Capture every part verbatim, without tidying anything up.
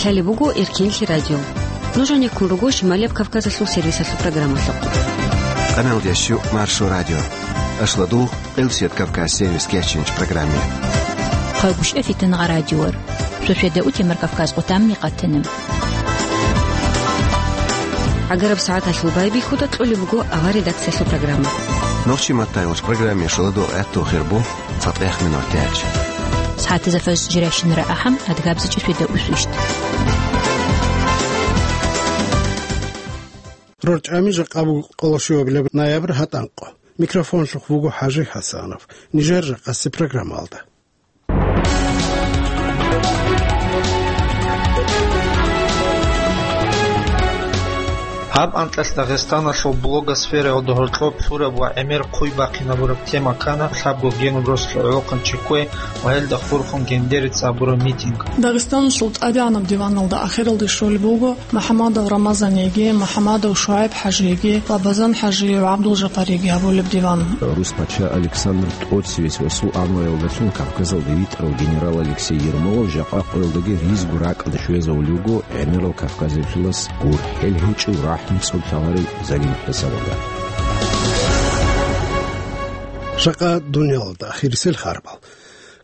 Гьале буго Эркенлъи радио. Нуж гьанеккун руго Шималияб Кавказалъул сервисалъул программалъухъ. Къаналдящу Маршо радио. Ашладул, Къилсият Кавказ сервис кечинч программе. Хъагушев Фитнагъа радиор. Шошеда утемар Кавказ къутамни къатана. Агараб сагӀаталъул байбихьуда кьолеб буго авар редакциялъул программа. Нохчи маттайгъуш программе шуладу гӀатту хирбу. ЦатӀех минут гьечӀ. СагӀатазда фаз жирайщинара ахӀам, адгабзичӀи фида усвищт. РорчӀами жакъа буго къолошуабилеб ноябрь гьатӀанкъо. Микрофонлъухъ вуго ХӀажи ХӀасанов. Нижер жакъаси программалда. Гьаб анкьалъ Дагъистаналъул блогосфераялда гьоркьоб лъураб ва гӀемер хъуй бахъинабураб тема ккана лъабго генуб росулъ гӀолохъанчи кквей ва гьелда хурхун гендерец абураб митинг. Дагъистаналъул тӀадегӀанаб диваналда ахиралде щолеб буго МухӀамадов Рамазаниги, МухӀамадов ШугӀайб ХӀажиги, Лабазан ХӀажи ва ГӀабдулжапариги гьабулеб диван. Рус пача Александр ТӀоцевец ва сул анлаялдалъун Кавказалда витӀарав генерал Алексей Ермолов жакъа къоялдаги ризго ракӀалде щвезавулев вуго гӀемерал кавказалъулас гурхӀел гьечӀев рахӀмуцӀоб лъаларев залим хӀисабалда. Жакъа дуниялалда ахирисел харбал.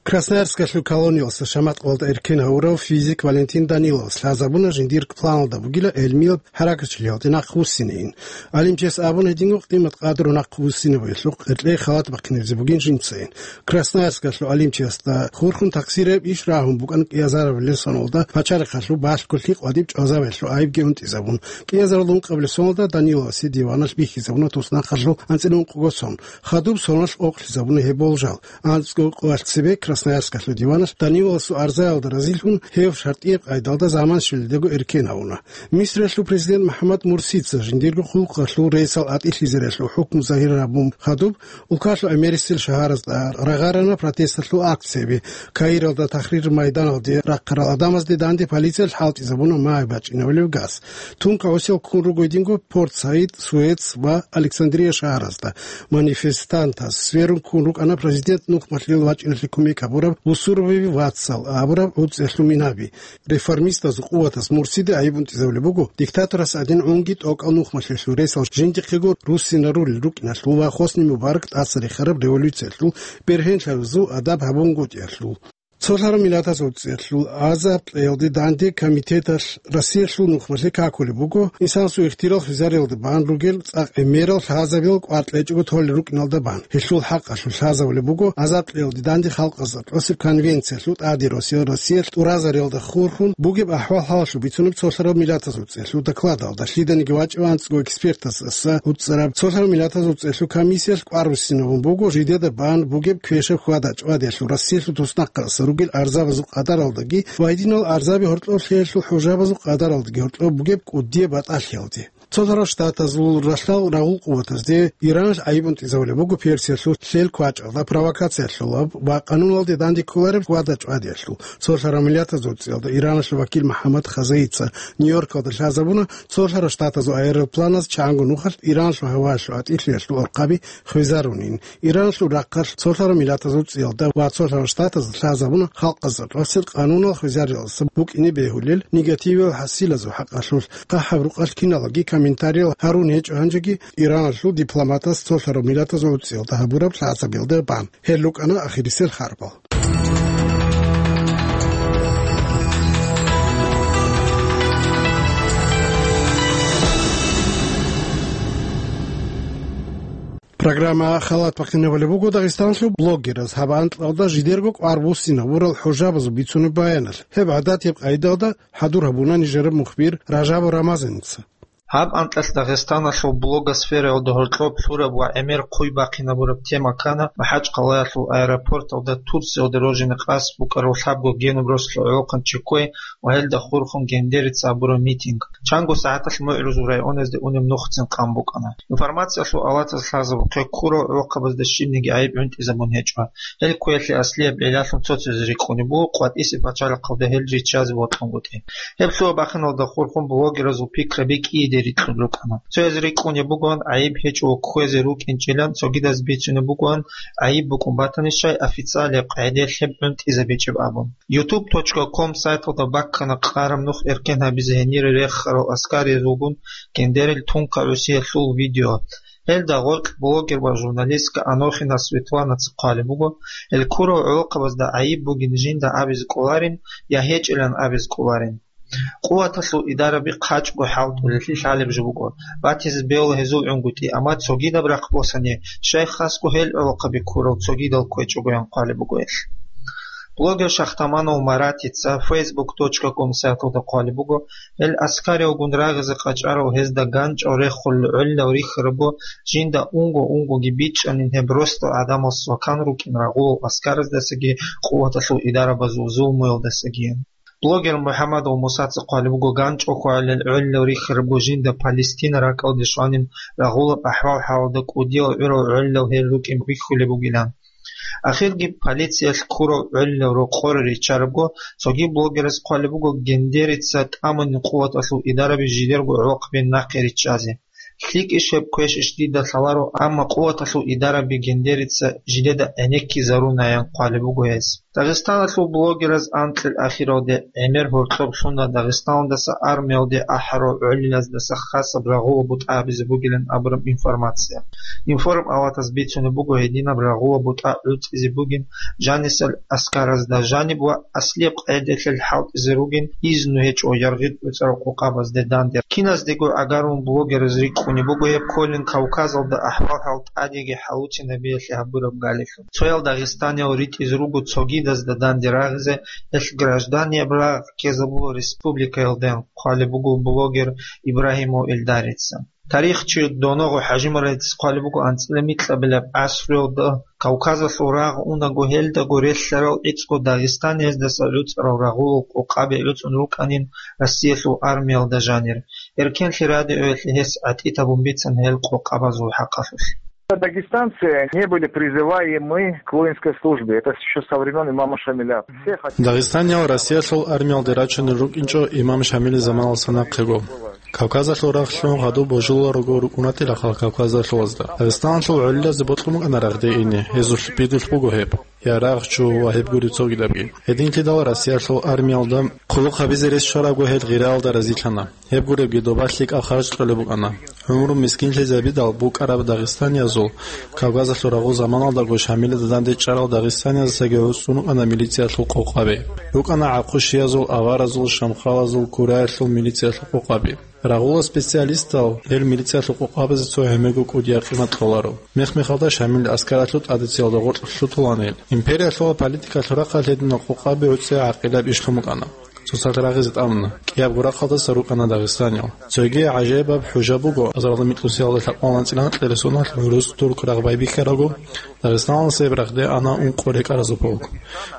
Красноярскалъул колониялъа шамат къоялда эркен гьавурав физик Валентин Даниловас лъазабуна жиндир планалда бугила гӀелмияб хӀаракатчилиялде нахъвуссинейин. ГӀалимчияс абуна гьединго къимат-къадру нахъвуссинабиялъухъ гьеркьей халат бахъинабизе бугин жинцайин. Красноярскалъул гӀалимчиясда хурхун такъсирияб иш рагьун букӀана кӀиазарабилеб соналда пачалихъалъул балъголъи къватӀиб чӀвазабиялъул гӀайибги унтӀизабун. КӀиазаралда ункъабилеб соналда Даниловасе диваналъ бихьизабуна туснахъалъул анцӀила ункъго сон. Хадуб соналъ къокълъизабуна гьеб болжал. АнцӀго къоялъ цебе Красноярскалъул диваналъ Даниловасул арзаялда разилъун гьев шартӀияб къайдалда заман щвелидаго эркен гьавуна. Мисриялъул президент МухӀаммад Мурсица жиндирго хъулухъалъул рейсал атӀилъизариялъул хӀукму загьир гьабун хадуб, улкалъул гӀемерисел шагьаразда рагъарана протесталъул акцияби. Каиралда Тахрир майданалде рахъарал гӀадамазде данде полициялъ хӀалтӀизабуна магӀи бачӀинабулеб газ. Тун кагӀусиял ккун руго гьединго Порт-Саид, Суэц ва Александрия шагьаразда. Манифестантаз сверун ккун рукӀана президент нухмалъил вачӀиналъе кумек гьабураб Бусуровиби вацал абураб гӀуцӀиялъул минаби. Реформистазул къуватас Мурсиде гӀайиб унтӀизабулеб буго диктаторас гӀадин гӀунги тӀокӀал нухмалъулъул ресал жиндихъего руссинарулел рукӀиналъул ва Хосни Мубарак тӀаса рехараб революциялъул бергьенлъабазул адаб гьабунгутӀиялъул. Цолъарав миллатаз гӀуцӀиялъул азаб кьеялде данде комитеталъ Россиялъул нухмалъе какулеб буго, инсанасул ихтирал хвезариялда бан ругел цӀакъ гӀемерал лъазабил кӀвар кьечӀого толел рукӀиналда бан. Гьелъул хӀакъалъулъ лъазабулеб буго азаб кьеялде данде халкъазда тӀосеб конвенциялъул тӀаде росиялъ Россиялъ тӀуразариялда хурхун бугеб ахӀвал-хӀалалъул бицунеб цолъарав миллатаз гӀуцӀиялъул докладалда. Лъиданиги вачӀев анцӀго экспертасаса гӀуцӀараб цолъарав миллатаз гӀуцӀиялъул комиссиялъ кӀвар руссинабун буго жидеда бан бугеб квешаб хьвада-чӀвадиялъул Россиялъул туснахъаса ругел арзабазул къадаралдаги ва гьединал арзаби гьоркьоб лъеялъул хӀужабазул къадаралдаги гьоркьоб бугеб кӀудияб батӀалъиялде. Цолъарав Штатазул ралъдал рагъул къуватазде Иранас гӀайиб унтӀизабулеб буго Персиялъул лъел квачӀалда провокациялъулаб ва къануналде данде кколареб хьвада-чӀвадиялъул. Цолъарав миллатаз гӀуцӀиялда Ираналъул вакил МухӀаммад Хазаица Нью-Йоркалда лъазабуна, цолъарав Штатазул аэропланаз чанго нухалъ Иранлъул гьаваялъул атӀилъиялъул орхъаби хвезарунин. Иранлъул рахъалъ цолъарав миллатаз гӀуцӀиялда ва цолъарав Штатазда лъазабуна халкъазда тӀасел къанунал хвезариялдаса букӀине бегьулел негативиял хӀасилазул хӀакъалъулъ. ХъахӀаб рукъалъ киналги комментариял гьарун гьечӀо гьанжеги Иранлъул дипломатас цолъарав миллатаз гӀуцӀиялда гьабураб лъазабиялда бан. Гьел рукӀана ахирисел харбал. Программа халат бахъинабулеб буго Дагъистанлъул блогераз. Гьаб анкьалда жидерго кӀвар буссинабурал хӀужабазул бицунеб баяналъ. Гьеб гӀадатияб къайдалда хӀадур гьабуна нижераб мухбир Ражабов Рамазаница. Гьаб анкьалъ Дагъистаналъул блогосфераялда гьоркьоб лъураб ва гӀемер хъуй бахъинабураб тема ккана МахӀачхъалаялъул аэропорталда Турциялда роженый къасд букӀарав лъабго генуб росулъ гӀолохъанчи кквей ва гьелда хурхун гендерец абураб митинг. Чанго сагӀаталъ МугӀрузул районазде унеб нухцин къан букӀана. Информациялъул авлатаз лъазабухъе ккурал гӀолохъабазда щибниги гӀайиб гӀунтӀизабун гьечӀо. Гьел кквеялъе аслияб гӀиллалъун цоцазе рикӀкӀунеб буго къватӀисе пачалихъалда гьел риччазе бокьунгутӀи. Гьеб лъугьа-бахиналда хурхун блогеразул пикраби кӀиде рикьун рукӀана. Цояз рикӀкӀунеб бугоан гӀайиб гьечӀо кквезе рукӀинчӀилан, цогидаз бицунеб бугоан гӀайиб букӀун батани щай официалияб къагӀидаялъ гьеб гӀунтӀизабичӀеб абун. Ютуб точка ком сайталда баккана къараб нух эркен гьабизе гьенире рехарал аскариязулгун гендерил тункагӀусиялъул видео. Гьелда гъоркь блогер ва журналистка Анохина Светланаца хъвалеб буго, гьел ккурал гӀолохъабазда гӀайиб бугин жинда абизе кӀоларин я гьечӀилан абизе кӀоларин. Къуваталъул идараби хъачӀго хӀалтӀулелъи лъалеб жо буго, батизе бегьула гьезул гӀунгутӀи, амма цогидаб рахъ босани, щай хасго гьел гӀолохъаби ккурал цогидал кквечӀогоян хъвалеб буго гьелъ. Блогер Шахтаманов Маратица фейсбук точка ком сайталда хъвалеб буго, гьел аскариялгун рагъизе къачӀарал гьезда ганчӀал реххулел гӀолилал рихьарабго, жинда унго-унгоги бичӀчӀанин гьеб росдал гӀадамал свакан рукӀин рагъулал аскараздасаги къуваталъул идарабазул зулмуялдасаги. Блогер МухӀаммадов Мусаца хъвалеб буго, ганчӀал хьвагӀулел гӀолилал рихьарабго жинда Палестина ракӀалде щванин рагъулаб ахӀвал-хӀалалда кӀудиял гӀурал гӀолилал гьел рукӀин бихьулеб бугилан. Ахирги полициялъ ккурал гӀолилал рокъоре риччарабго, цоги блогерас хъвалеб буго гендерица тӀамунин къуваталъул идараби жидерго гӀолохъаби нахъе риччазе. ЛъикӀищ гьеб квешищ дида лъаларо, амма къуваталъул идараби гендерица жидеда гӀенеккизарунаян хъвалеб буго гьез. Дагъистаналъул блогераз анкьил ахиралде гӀемер гьоркьоб лъуна Дагъистаналдаса армиялде ахӀарал гӀолилаздаса хасаб рагъула бутӀа гьабизе бугилан абураб информация. Информ аватаз бицунеб буго гьединаб рагъула бутӀа гӀуцӀизе бугин жанисел аскаразда жаниб ва аслияб къагӀидаялъ хӀалтӀизе ругин изну гьечӀо яргъи гӀуцӀарал къокъабазде данде. Киназдего гӀагарун блогераз рикӀкӀунеб буго гьеб кколин Кавказалда ахӀвал-хӀал тӀадеги хӀалуцинабиялъе гьабураб галилъун. Цоял дагъистаниял ритӀизе руго цогидазда данде рагъизе, гьелъ гражданияб рагъ ккезабула республикаялден, хъвалеб буго блогер Ибрагьимов Эльдарица. Тарихчи Доногъо ХӀажимурадица хъвалеб буго, анцӀила микьабилеб гӀасруялда Кавказалъул рагъ унаго, гьелдаго релълъарал гӀицӀго дагъистанияздаса гӀуцӀарал рагъулал къокъаби гӀуцӀун рукӀанин Россиялъул армиялда жанир. Эркенлъи радиоялъе гьес гӀатӀид гьабун бицана гьел къокъабазул хӀакъалъулъ. Дагестанцы не были призываемы к воинской службе. Это ещё со времён имама Шамиля. Все хотели... Дагъистаниял Россиялъул армиялде рачунел рукӀинчӀо имам Шамилил заманалса нахъего. Кавказалъул рагълъун гьадуб божуларого рукӀунатила хал Кавказалъулазда. Дагъистаналъул гӀолилазе бокьун букӀана рагъде ине, гьезулъ бидулъ буго гьеб, я рагъ чу ва гьеб гури цогидабги. Гьединлъидал Россиялъул армиялда хъулухъ гьабизе рес щварабго гьел гъираялда разилъана. Гьеб гуребги доба лъикӀаб харж кьолеб букӀана. ГӀумру мискинлъизабидал букӀараб дагъистаниязул Кавказалъул рагъул заманалдаго Шамилида данде чӀарал дагъистаниязасаги гӀуцӀун рукӀана милициялъул къокъаби. РукӀана гӀахъу-щиязул, аваразул, шамхалазул, кураялъул милициялъул къокъаби. Рагъула специалистал гьел милициялъул къокъабазе цо гьемерго кӀудиял къимат кьоларо. Мех-мехалда Шамил аскаралъул тӀадегӀиялда гъоркь лъутулаан гьел. Империялъул политикалъул рахъалъ гьединал къокъаби гӀуцӀи гӀакъилаб ишлъун букӀана. Цоцазда рагъизе тӀамуна. КӀиябго рахъалдаса рукӀана дагъистаниял. Цоги гӀажаибаб хӀужа буго, азаралда микьусиялда лъабкъоялда анцӀила анкьила росулъ гӀурус турк рагъ байбихьараго, Дагъистаналдаса гьеб рагъде ана ункъо рекӀаразул полк.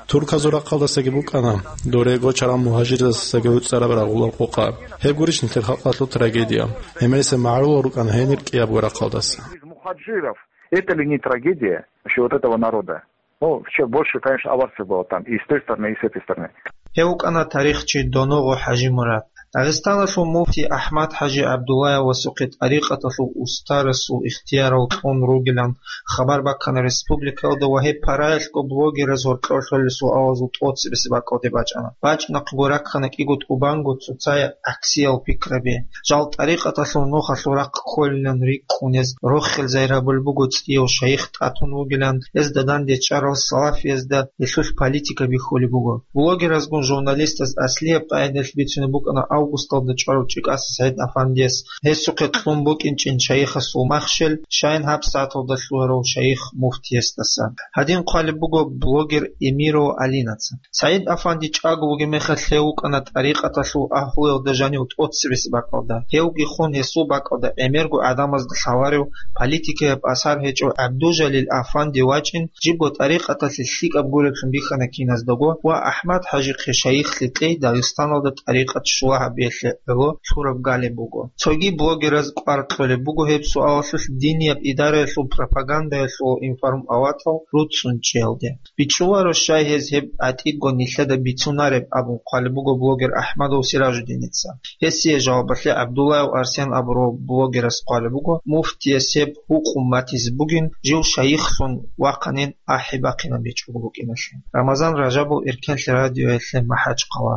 Турказул рахъалдасаги букӀана дорего чарал мугьажирзасаги гӀуцӀараб рагъулаб къокъа. Гьеб гурищ нилъер халкъалъул трагедия. Гьемерисеб магӀарулал рукӀана гьенир кӀиябго рахъалдаса. Из мухаджиров, это ли не трагедия вообще вот этого народа? Ну, всё больше, конечно, аварцев было там, и с той стороны, и с этой стороны. Гьев вукӀана тарихчи Доногъо ХӀажимурад. Дагъистаналъул муфти АхӀмад-ХӀажи ГӀабдуллаевасухъе тӀарикъаталъул устарасул ихтиярал кьун ругилан хабар баккана республикаялда ва гьеб параялъго блогераз гьоркьор лъолел суалазул тӀоцебесеб бакӀалде бачӀана. БачӀнахъего раккана кӀиго тӀубанго цоцай гӀаксиял пикраби. Жал тӀарикъаталъул нухалъул рахъ кколилан рикӀкӀунез рохел зайрабулеб буго цӀияв шайих тӀатун вугилан, гьезда данде чӀарал салафиязда гьелъулъ политика бихьулеб буго. Блогеразгун журналистаз аслияб къагӀидаялъ бицунеб букӀана августалда чӀварав ЧӀикӀаса СагӀид-афандияс гьесухъе кьун букӀинчӀин шайихасул махщел, щайин гьабсагӀаталда лъугьарав шайих муфтиясдаса. Гьадин хъвалеб буго блогер Эмирова Алинаца. СагӀид-афанди чӀаго вугеб мехалъ гьев вукӀана тӀарикъаталъул агьлуялда жанив тӀоцебесеб бакӀалда. Гьевги хун гьесул бакӀалда гӀемерго гӀадамазда лъаларев политикаяб асар гьечӀев ГӀабдужалил-афанди вачӀин, жибго тӀарикъаталъе лъикӀаб гуреблъун бихьана киназдаго ва АхӀмад-ХӀажихъе шайихлъи кьей Дагъистаналда тӀарикъат щула гьаб Белъе гӀоло лъураб галеб буго. Цоги блогераз кӀвар кьолеб буго гьеб суалалъулъ динияб идараялъул пропагандалъул информатал руцӀцӀун чӀиялде. БичӀчӀуларо щай гьез гьеб гӀатӀидго нилъеда бицунареб абун хъвалеб буго блогер АхӀмадов Сиражуддиница. Гьесие жавабалъе ГӀабдуллаев Арсен абурав блогерас хъвалеб буго, муфтияс гьеб гьукъум батизе бугин, жив шайихлъун вахъанин ахӀи бахъинаб бичӀчӀого букӀиналъе. Рамазан Ражабов, Эркенлъи радиоялъе, МахӀачхъала.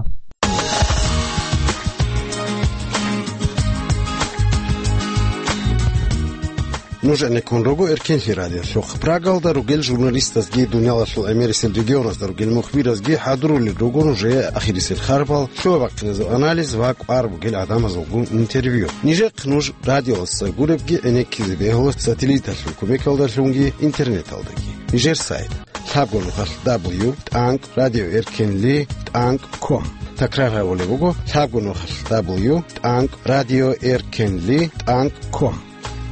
Нуж гӀенеккун руго Эркенлъи радиолъухъ. Прагалда ругел журналистазги дуниялалъул гӀемерисел регионазда ругел мухбиразги хӀадурулел руго нужее ахирисел харбал, лъугьа-бахъиназул анализ ва кӀвар бугел гӀадамазулгун интервью. Нижехъ нуж радиоялдаса гуребги гӀенеккизе бегьула сателлиталъул кумекалдалъунги интернеталдаги. Нижер сайт: лъабго нухалъ дабл ю тӀанкӀ радио эркенли тӀанкӀ ком. Такрар гьабулеб буго: лъабго нухалъ дабл ю тӀанкӀ радио эркенли тӀанкӀ ком.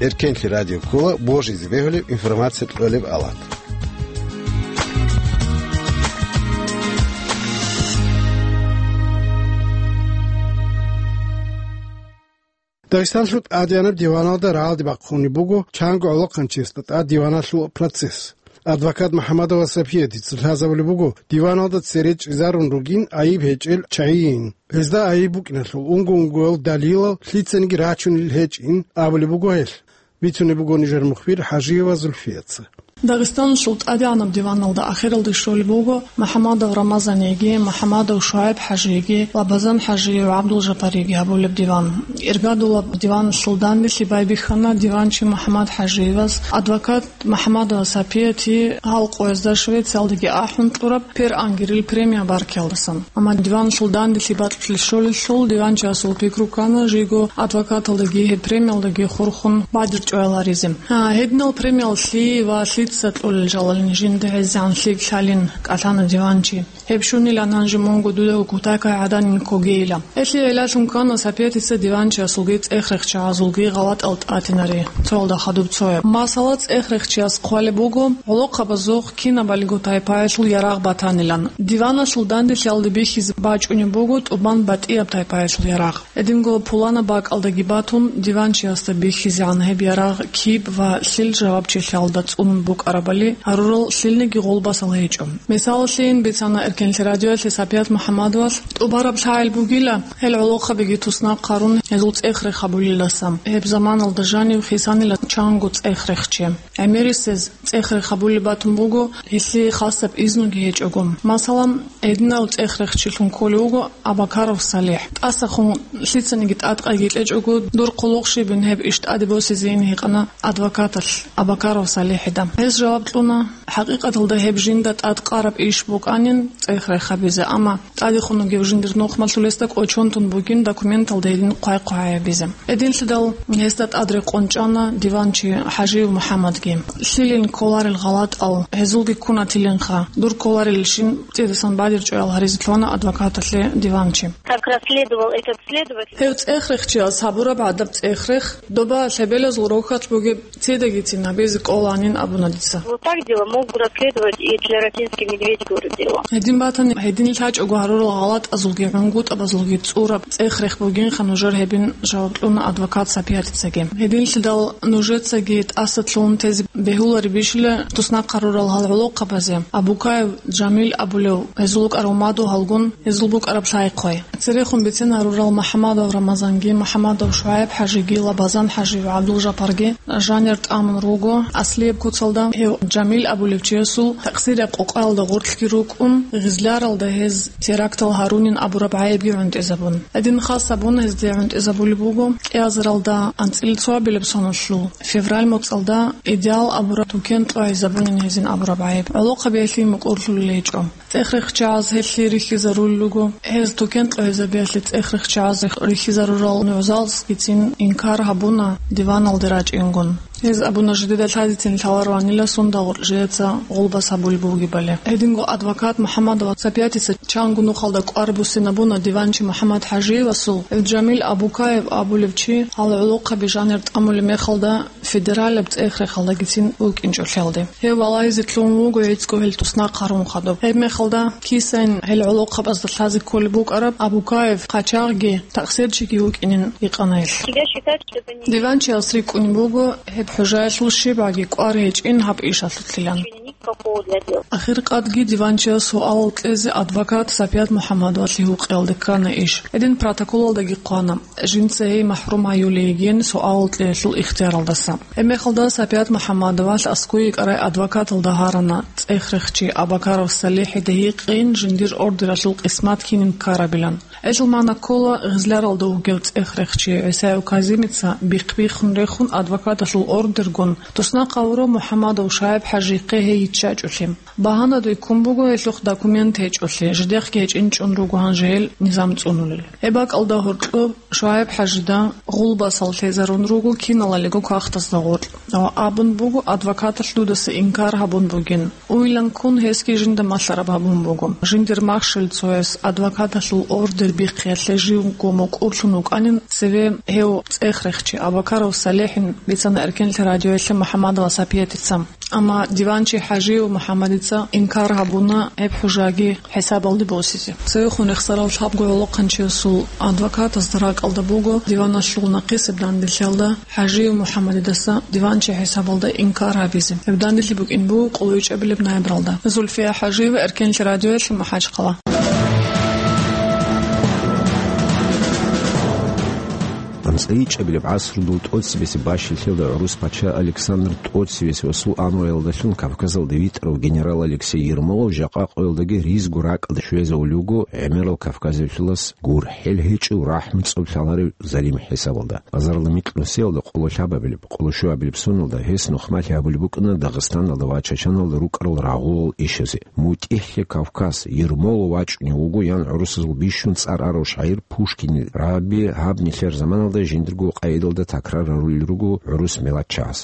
Эркенлъи радио ккола божизе бегьулеб информация кьолеб алат. Дагъистанлъул тӀадегӀанаб диваналда рагӀалде бахъунеб буго чанго гӀолохъанчиясда тӀад диваналъул процесс. Адвокат МухӀаммадова Сапиятица лъазабулеб буго, диваналда цере чӀезарун ругин айиб гьечӀел чагӀийин. Гьезда айиб букӀиналъул унго-унгоял далилал лъицаниги рачунел гьечӀин абулеб буго гьелъ. Бицунеб буго нижер мухбир ХӀажиева Зульфияца. Дагъистаналъул тӀадегӀанаб диваналда ахиралде щолеб буго МухӀаммадов Рамазаниеги, МухӀаммадов ШугӀайб-хӀажиеги, Лабазан-хӀажие ва ГӀабдулжапариеги гьабулеб диван. Иргадулаб диваналъул данделъи байбихьана диванчи МухӀаммад-хӀажиевас, адвокат МухӀаммадова Сапияти гьал къоязда Швециялдаги ахӀун кьураб Пер Ангерил премия баркиялдасан. Амма диваналъул данделъи бакьулъ щолелъул, диванчиясул пикру ккана жийго адвокаталдаги гьеб премиялдаги хурхун бадир чӀваяларизе. Гьа, гьединал премиял лъие ва лъица кьолел жалалин жинда гӀезегӀан лъикӀ лъалин кӀалъана диванчи. Гьеб щунилан гьанже мунго дуда кутакай гӀаданин ккогейила. Гьелъие гӀиллалъун ккана Сапиятица диванчиясулги цӀех-рехчагӀазулги гъалатӀал тӀатинаре, цоялда хадуб цояб. Масала, цӀех-рехчияс хъвалеб буго, гӀолохъабазухъ кинабалиго тайпаялъул ярагъ батанилан. Диваналъул данделъиялда бихьизе бачӀунеб буго тӀубан батӀияб тайпаялъул ярагъ. Гьединго пуланаб бакӀалдаги батун, диванчиясда бихьизегӀан гьеб ярагъ киб ва лъил жавабчилъиялда цӀунун букӀарабали гьарурал лъилниги гъулбасал гьечӀо. Мисалалъейин бицана Эркенлъи радиоялъе Сапият МухӀаммадовалъ: тӀубараб лъагӀел бугила, гьел гӀолохъабиги туснахъ гьарун гьезул цӀех-рех гьабулелдаса. Гьеб заманалда жанив хисанила чанго цӀех-рехчи. ГӀемерисез цӀех-рех гьабулеб батун буго, гьелъие хасаб изнуги гьечӀого. Масала, гьединав цӀех-рехчилъун кколев вуго Абакаров СалихӀ. ТӀасахун лъицаниги тӀадкъайги кьечӀого, дур хъулухъ щибин гьеб иш тӀаде босизейин гьикъана адвокаталъ Абакаров СалихӀида. Гьез жаваб кьуна: «ХӀакъикъаталда гьеб жинда тӀадкъараб иш букӀанин цӀех-рех гьабизе, амма тӀадехун вугев жиндир нухмалъулесда кӀочон тун бугин документалда гьедин хъвай-хъвай гьабизе». Гьединлъидал гьесда тӀад рекъон чӀана диванчи ХӀажиев МухӀаммадги. Лъилин кколарел гъалатӀал гьезулги ккунатилинха, дур кколарелищин цӀидасан бадир чӀваял гьаризе лъугьана адвокаталъе диванчи. Как расследовал этот следователь. Гьев цӀех-рехчияс гьабураб гӀадаб цӀех-рех доба лъебелазул рохалъ бугеб цидагицин гьабизе кӀоланин абуна дица. Вот так дело мог бы расследовать и тлератинский медведь город дело. Гьедин батани, гьедин лъачӀого гьарурал гъалатӀазулги гӀунгутӀабазулги цӀураб цӀех-рех бугинха нужер гьебин, жаваб кьуна адвокат Сапиятицаги. Гьединлъидал нужецаги тӀаса лъугьун тезе бегьуларебищила туснахъ гьарурал гьал гӀолохъабазе, Абукаев Жамил абулев гьезул вукӀарав мадугьалгун гьезул букӀараб лъай-хъвай. Церехун бицен гьарурал МухӀаммадов Рамазанги, МухӀаммадов ШугӀайб-хӀажиги, Лабазан-хӀажи ва ГӀабдулжапарги жанир тӀамун руго аслияб куцалда. Гьев Жамил абулев чиясул такъсирияб къокъаялда гъорлъги рукӀун, Гъизляралда гьез терактал гьарунин абураб гӀайибги гӀунтӀизабун. Гьедин хас гьабун гьезде гӀунтӀизабулеб буго кӀиазаралда анцӀила цоабилеб соналъул февраль моцӀалда Идеал абураб тукен кьогӀизабунин гьезин абураб гӀайиб. ГӀолохъабиялъе мукӀурлъулел гьечӀо. ЦӀех-рехчагӀаз гьелъие рихьизарулел руго. Гьез тукен кьогӀизабиялъе цӀех-рехчагӀаз рихьизарурал нугӀзалсгицин инкар гьабуна диваналде рачӀингун. Гьез абуна, жидеда лъазецин лъаларванила сундагъоркь жидеца гъулбас гьабулеб бугебали. Гьединго адвокат МухӀаммадова Сапиятица чанго нухалда кӀвар буссинабуна диванчи МухӀаммад-ХӀажиевасул, гьев Жамил Абукаев абулев чи гьал гӀолохъаби жанир тӀамулеб мехалда федералаб цӀех-рехалдагицин вукӀинчӀолъиялде. Гьев валагьизе лъугьун вуго гӀицӀго гьел туснахъ гьарун хадуб. Гьеб мехалда кисайин гьел гӀолохъабазда лъазе кколеб букӀараб Абукаев хъачагъги, такъсирчиги вукӀинин гьикъана гьелъ. Тебя считать, что это не... Диванчияс рикӀкӀунеб буго гьеб хӀужаялъул щибгӀаги кӀвар гьечӀин гьаб ишалъулъилан. Ахиркъадги диванчияс суалал кьезе адвокат Сапият МухӀаммадовалъе гьукъиялде ккана иш. Гьедин протоколалдаги хъвана, жинца гьей махӀрум гьаюлей йигин суалал кьеялъул ихтияралдаса. Гьебмехалда Сапият МухӀаммадовалъ аскӀове йикӀарай адвокаталда гьарана цӀех-рехчи Абакаров СалихӀида гьикъин жиндир ордералъул къисмат кинин ккарабилан. Гьелъул магӀна ккола, гъизларалда вугев цӀех-рехчи ГӀисаев Казимица бихъ-биххун рехун адвокаталъул ордергун туснахъ гьавурав МухӀаммадов ШагӀиб-ХӀажихъе гьей йиччачӀолъи. Багьана дойккун буго гьелъухъ документ гьечӀолъи, жидехъги гьечӀинчӀун руго гьанже гьел низам цӀунулел. Гьеб бакӀалда гьоркьоб ШагӀиб-ХӀажида гъулбасал лъезарун руго киналалиго кагътазда гъоркь ва абун буго адвокаталъ дудаса инкар гьабун бугин. Уйилан ккун гьесги жинда малъараб гьабун буго. Жиндир махщел цояс адвокаталъул ордер бихъиялъе живго мукӀурлъун вукӀанин цеве гьев цӀех-рехчи Абакаров СалихӀин, бицана Эркенлъи радиоялъе МухӀаммадова Сапиятица. Амма диванчи ХӀажиев МухӀаммадица инкар гьабуна гьеб хӀужаги хӀисабалде босизе. Цевехун рехсарав лъабго гӀолохъанчиясул адвокатазда ракӀалда буго диваналъул нахъисеб данделъиялда ХӀажиев МухӀаммадидаса диванчи хӀисабалда инкар гьабизе. Гьеб данделъи букӀин буго къоло ичӀабилеб ноябралда. Зульфия ХӀажиева, Эркенлъи радиоялъе, МахӀачхъала. АнцӀила ичӀабилеб гӀасрудул тӀоцебесеб бащалъиялда гӀурус пача Александр тӀоцевесул амруялдалъун Кавказалда витӀарав генерал Алексей Ермолов жакъа къоялдаги ризго ракӀалде щвезавулев вуго гӀемерал кавказалъулас гурхӀел гьечӀев, рахӀму цӀоб лъаларев залим хӀисабалда. Азарилда микьнусиялда къоло лъабабилеб, къоло щуабилеб соналда гьес нухмалъи гьабулеб букӀана Дагъистаналда ва Чачаналда рукӀарал рагъулал ишазе. МутӀигӀлъи Кавказ, Ермолов вачӀунев вуго, ян гӀурусазул бищун цӀар арав шагӀир Пушкинил рагӀаби гьаб нилъер заманалда жиндирго къайдалда такрар гьарулел руго гӀурус миллатчагӀаз.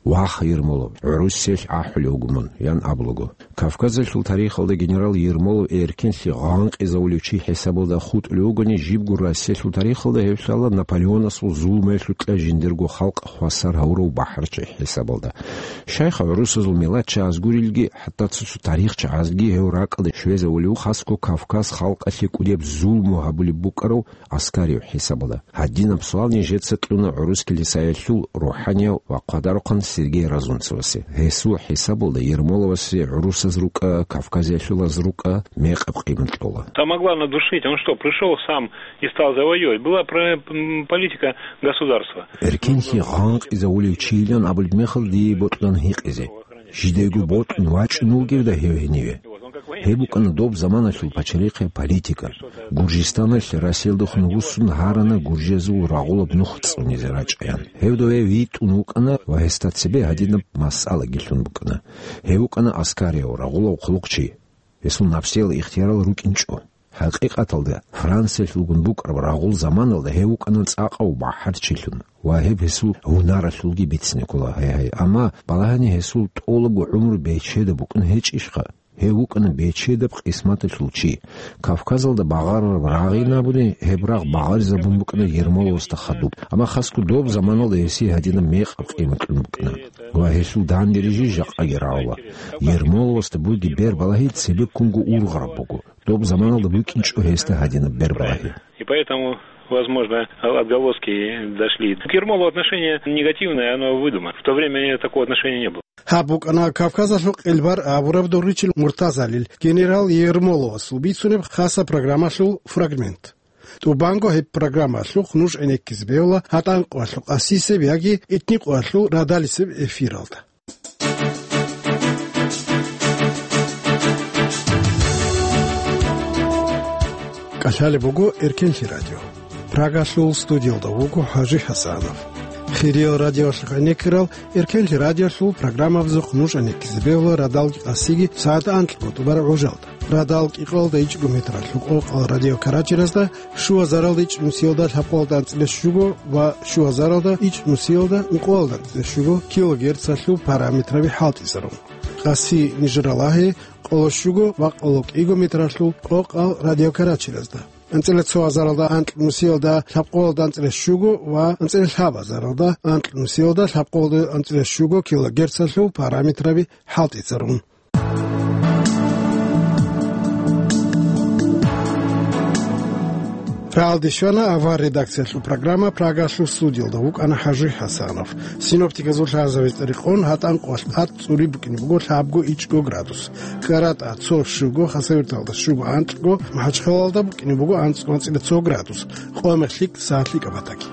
«Ваха, Ермолов, гӀурусиялъ ахӀулев вуго мун», — ян абулаго. Кавказалъул тарихалда генерал Ермолов эркенлъи гъанкъизавулев чи хӀисабалда хутӀулев вугони, жибго Россиялъул тарихалда гьев лъала Наполеонасул зулмуялъукьа жиндирго халкъ хвасар гьавурав бахӀарчи хӀисабалда. Щайха гӀурусазул миллатчагӀаз гурилги, хӀатта цо-цо тарихчагӀазги гьев ракӀалде щвезавулев, хасго Кавказ халкъалъе кӀудеб зулму гьабулеб букӀарав Аскариев хӀисабалда. Гьадинаб суал нижеца кьуна гӀурус килисаялъул рухӀанияв ва хъвадарухъан Сергей Разумцевасе. Гьесул хӀисабалда Ермоловасе гӀурусаз рукӀа, кавказиялъулаз рукӀа мекъаб къимат кьола. Там могла надушить. Он что, пришёл сам и стал завоевывать? Была про-, м, политика государства. Эркенлъи гъанкъизавулев чийилан абулеб мехалда дие бокьун гьикъизе. Жидего бокьун вачӀун вугевда гьев гьениве. Гьеб букӀана доб заманалъул пачалихъе политика. Гуржистаналъ Россиялдехун вуссун гьарана гуржезул рагъулаб нух цӀунизе рачӀаян. Гьев дове витӀун вукӀана ва гьесда цебе гьадинаб масъалаги лъун букӀана. Гьев вукӀана аскарияв, рагъулав хъулухъчи. Гьесул напсиял ихтиярал рукӀинчӀо. ХӀакъикъаталда, Франциялъулгун букӀараб рагъул заманалда гьев вукӀана цӀакъав бахӀарчилъун ва гьеб гьесул гьунаралъулги бицине ккола, гьай-гьай. Амма балагьани гьесул тӀолабго гӀумру бечеда букӀун гьечӀищха? Гьев вукӀана бечедаб къисматалъул чи. Кавказалда багъарараб рагъ ин абуни, гьеб рагъ багъаризабун букӀана Ермоловасда хадуб. Амма хасго доб заманалда гьесие гьадинаб мекъаб къимат кьун букӀана. Ва гьелъул данде рижи жакъаги рагӀула. Ермоловасда бугеб бербалагьи цебеккунго ургъараб буго. Доб заманалда букӀинчӀо гьесда гьадинаб бербалагьи. И поэтому, возможно, отголоски дошли. К Ермолу отношение негативное, оно выдумано. В то время такого отношения не было. Гьаб букӀана Кавказалъул къилбар абураб дорричил муртазалил генерал Ермоловасул бицунеб хасаб программалъул фрагмент. ТӀубанго гьеб программалъухъ нуж гӀенеккизе бегьула гьатӀан къоялъул къасисеб яги итни къоялъул радалисеб эфиралда. КӀалъалеб буго Эркенлъи радио. Прагалъул студиялда вуго ХӀажи ХӀасанов. Хириял радиоялъухъ гӀенеккарал Эркенлъи радиоялъул программабазухъ нуж гӀенеккизе бегьула радалги къасиги сагӀат анкьго тӀубараб гӀужалда. радал кӀикъоялда ичӀго метралъул къокъал радиокаратчеразда, щугьазаралда ичӀнусиялда лъабкъоялда анцӀила щуго ва щугьазаралда ичӀнусиялда ункъоялда анцӀила щуго килогерцалъул параметраби хӀалтӀизарун. Къаси Нижер-Алагьи, къоло щуго ва къоло кӀиго метралъул къокъал радиокаратчеразда, анцӀила цо гьазаралда анкьнусиялда лъабкъоялда анцӀила щуго ва анцӀила лъабазаралда анкьнусиялда лъабкъоялда анцӀила щуго килогерцалъул параметраби хӀалтӀицарун. Рагьалде щвана авар редакциялъул программа, Прагалъул студиялда вукӀана ХӀажи ХӀасанов. Синоптиказул лъазабиз тӀадекъон гьатӀан къвалъ тӀад цӀури букӀине буго лъабго ичӀго градус. КӀаратӀа цо щуго, Хасавюрталда щуго анкьго, МахӀачхъалалда букӀине буго анцӀго анцӀила цо градус, къо-мех лъикӀ сагьат лъикӀаб батаги.